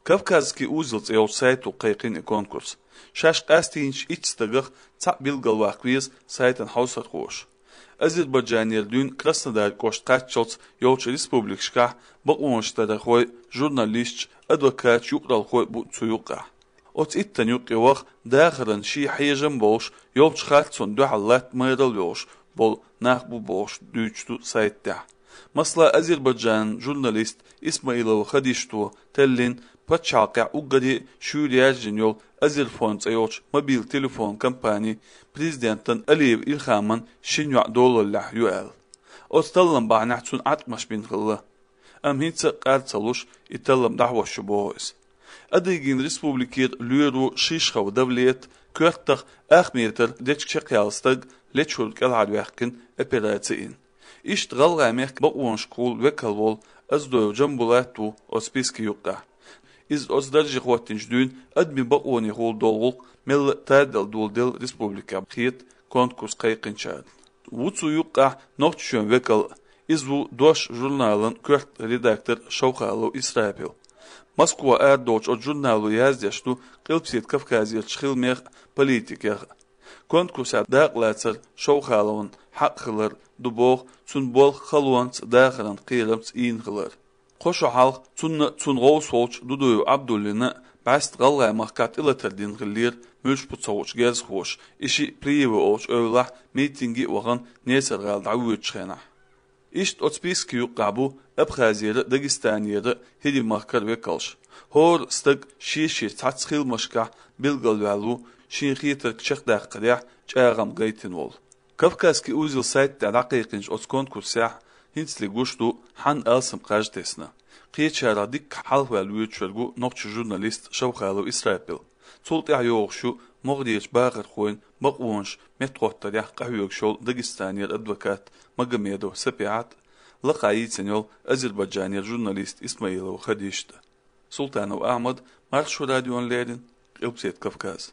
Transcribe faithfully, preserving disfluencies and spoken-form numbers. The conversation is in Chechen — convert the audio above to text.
«Кавказский узел» цӀе йолчу сайто кхайкхина и конкурс. Шаьш къастийначу итт стагах цхьаъ билгалваккха веза сайтан хьовсархоша. Азербайджанера дуьйна Краснодар кӀошта кхаччалц йолчу республикашкахь бакъонаш дархой, журналисташ, адвокаташ, юкъаралхой бу цу юккъехь. Оцу иттанна юккъе ваха дахаран шен хьежам болуш, йолчу харцонна дуьхьал латта майралла йолуш болу нах бу бохуш дуьйцуш ду сайта тӀехь. Масала, Азербайджанан журналист Исмаилова Хадишто теллина пачхьалкхехь уггаре шуьйра яьржина йолу Азерфон цӀе йолчу мобил телефон компани президентан Алиев Илхаман шина йоӀ долаллехь ю аьлла. Оцу таллам бахьанехь цунна Ӏаткъамаш бина хилла. Амма хӀинца а къар ца луш, и таллам дӀахьош ю боху иза. Адыгейн республикера лоьро Шишхов Давлет коьртах ах метр дечиг чекхъяьлла стаг лечуьра кӀелхьарваьккхина, операци йина. Иштта ГӀалгӀай мехкан бакъонашкахула векал волу Оздоев Джамбулат ву оцу списке юккъехь. Иза оцу дарже хӀоттийначу дуьйна адамийн бакъонехула долу гӀуллакх мелла а тадала доладелла республикехь, хета конкурс кхайкхинчарна. Ву цу юккъехь Нохчийчоьнан векал а, иза ву «Дош» журналан коьрта редактор Шовхалов Исрапил. Москва арадолчу оцу журнало яздеш ду Къилбаседа Кавказерчу хиламех а, политикех а. Конкурсехь дакъалацар Шовхаловна хьакъ хилар ду боху, цуьнан болх халонца, дахаран кхерамца йийна хилар. Кхо шо хьалха цунна а, цуьнан гӀовс волчу Дудуев Абдуллина а бӀаьста ГӀалгӀай махкахь тӀелатар дина хиллера муьлш бу ца хуучу герзахоша, и шиъ Плиево олучу эвлахь митинге а вахана, Несар-гӀала дӀавоьдучу хенахь. Иштта оцу списке юккъехь бу Абхазера а, Дагестанера а, хӀирийн махкара а векалш. ХӀора стаг шен-шен цхьацца хиламашкахь билгалваьлла ву, шена хетарг чекхдаккхарехь чӀагӀам гайтина волу. «Кавказский узел» сайта тӀехь дӀакхайкхинчу оцу конкурсехь хӀинцале гуш ду, хьанна алсам кхаж тесна. Кхечарах дикка хьалхаваьлла воьдучуьра ву нохчийн журналист Шовхалов Исрапил. Цул тӀаьхьа йогӀуш ю могӀарерчу бахархойн бакъонаш меттахӀоттарехь къахьоьгуш йолу Дагестанера адвокат Магомедова Сапиат а, лакхахь йийцина йолу Азербайджанера журналист Исмаилова Хадишта а. Султанов Ахьмад, Маршо радиона леррина, Къилбаседа Кавказ.